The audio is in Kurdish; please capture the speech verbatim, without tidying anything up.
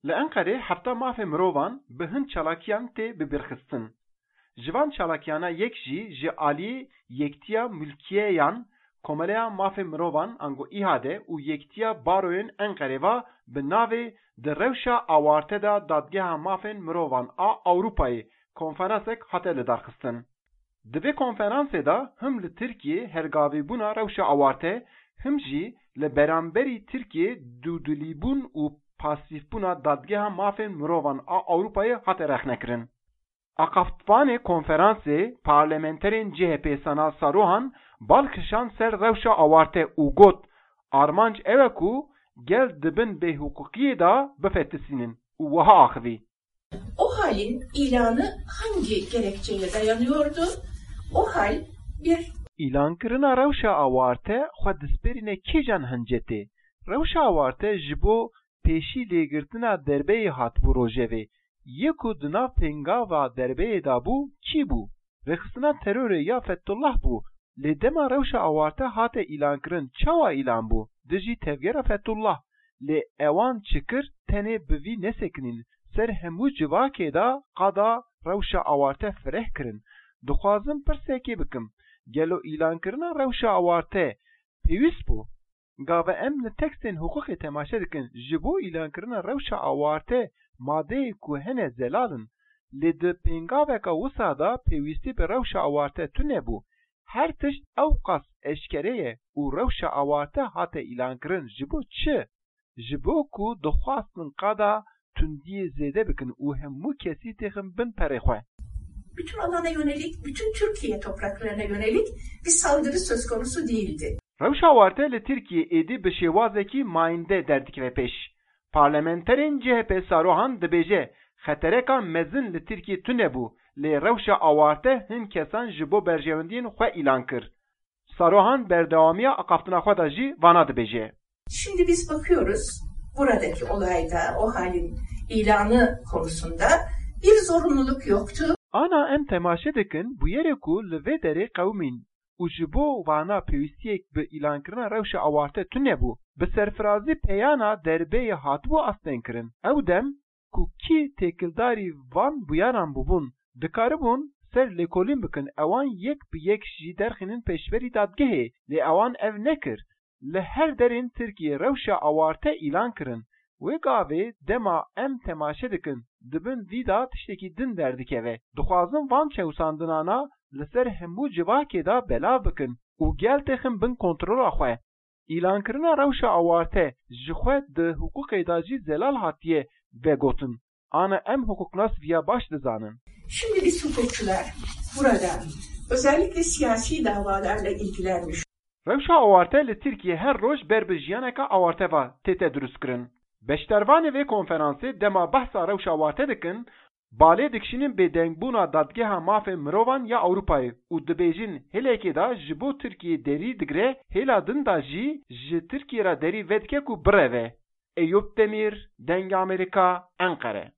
Li Enqerê hefta mafê mirovan bi hin çalakiyan tê bibîrxistin. Ji van çalakiyana yek jî ji aliyê Yektiya Mulkiyeyan Komeleya Mafên Mirovan ango İHA'de û Yektiya Baroyên Enqerê ve bi navê Di Rewşa Awarte de Dadgeha Mafên Mirovan a Ewropayê konferansek hate lidarxistin. Di vê konferansê de him li Tirkiyê hergavîbûna rewşa awarte, him jî li beramberî Tirkiyê dûdilîbûn û pasîfbûna Dadgeha Mafên Mirovan a Ewropayê hate rexnekirin. Axaftvanê konferansê parlamenterên C H P Sana Saruhan bal kişand ser rewşa awarte û got, armanc ew e ku gel di bin bêhiqûqiyê de bifetisînin û wiha axivî. O halin ilanı hangi gerekçeye dayanıyordu? O hal bir Îlankirina rewşa awarte xwe dispêrîne kîjan hincetê? Rewşa awarte ji bo pêşî lêgirtina derbeyê hatibû rojevê. Yê ku di nav pêngava derbeyê de bû, kî bû? Rêxistina terorê ya Fethullah bû. Lê dema rewşa awarte hate îlankirin, çawa îlan bû? Dijî tevgera Fethullah. Lê ewan çi kir, tenê bi vî nesekinîn. Ser hemû civakê de qada rewşa awarte fireh kirin. Dixwazim pirsekê bikim. Gelo îlankirina rewşa awarte pêwîst bû? Gava em li tekstên hiqûqê temaşe dikin, ji bo îlankirina rewşa awarte madeyê ku hene zelal in. Lê di pêngaveka wisa de pêwîstî bi rewşa awarte tune bû. Her tişt ewqas eşkere ye û rewşa awarte hate îlankirin ji bo çi? Ji bo ku dixwastin qada tundiyê zêde bikin û hemû kesî têxin bin perê xwe. Bütün alana yönelik, bütün Türkiye topraklarına yönelik bir saldırı söz konusu değildi. Rewşa awarte li Tirkiyê êdî bi şêwazekî mayînde derdikeve pêş. Parlamenterên C H P Saruhan dibêje, xetereka mezin li Tirkiyê tune bû, lê rewşa awarte hin kesan ji bo berjewendiyên xwe îlan kir. Saruhan berdewamiya axaftina xwe de jî vana dibêje. Şimdi biz bakıyoruz, buradaki olayda o halin ilanı konusunda bir zorunluluk yoktu. Ana em temaşe dikin bûyerê ku li vê derê qewimîn û ji bo vana pêwîstiyek bi îlankirina rewşa awarte tune bû. Bi serfirazî peyana derbeyê hatibû astengkirin. Ew dem ku kî têkildarî van bûyaran bûbûn, dikaribûn ser lêkolîn bikin, ewan yek bi yek jî derxînin pêşberî dadgehê, lê ewan ev nekir. Li her derên Tirkiyê rewşa awarte îlan kirin. Wê gavê dema em temaşe dikin, di bin vî de tiştekî din derdikeve. Dixwazin van çewsandinana li ser hemû civakê de belav bikin û gel têxin bin kontrola xwe. Îlankirina rewşa awarte ji xwe di hiqûqê de jî zelal hatiye vegotin. Ana em hiqûqnas viya baş dizanin. Şimdi biz hukukçular burada özellikle siyasi davalarla ilgilenmiş. Rewşa awarte li Tirkiyê her roj ber bi jiyaneka awarte ve tête dirustkirin. Beşdarvanê vê konferansê dema behsa rewşa awarte dikin, balê dikişînin bêdengbûna Dadgeha Mafên Mirovan ya Ewropayê û dibêjin hêlekê de ji bo Tirkiyê derî digire, hêla din de jî ji Tirkiyê re derî vedike ku bireve. Eyûp Demîr, Dengê Amerîka, Enqere.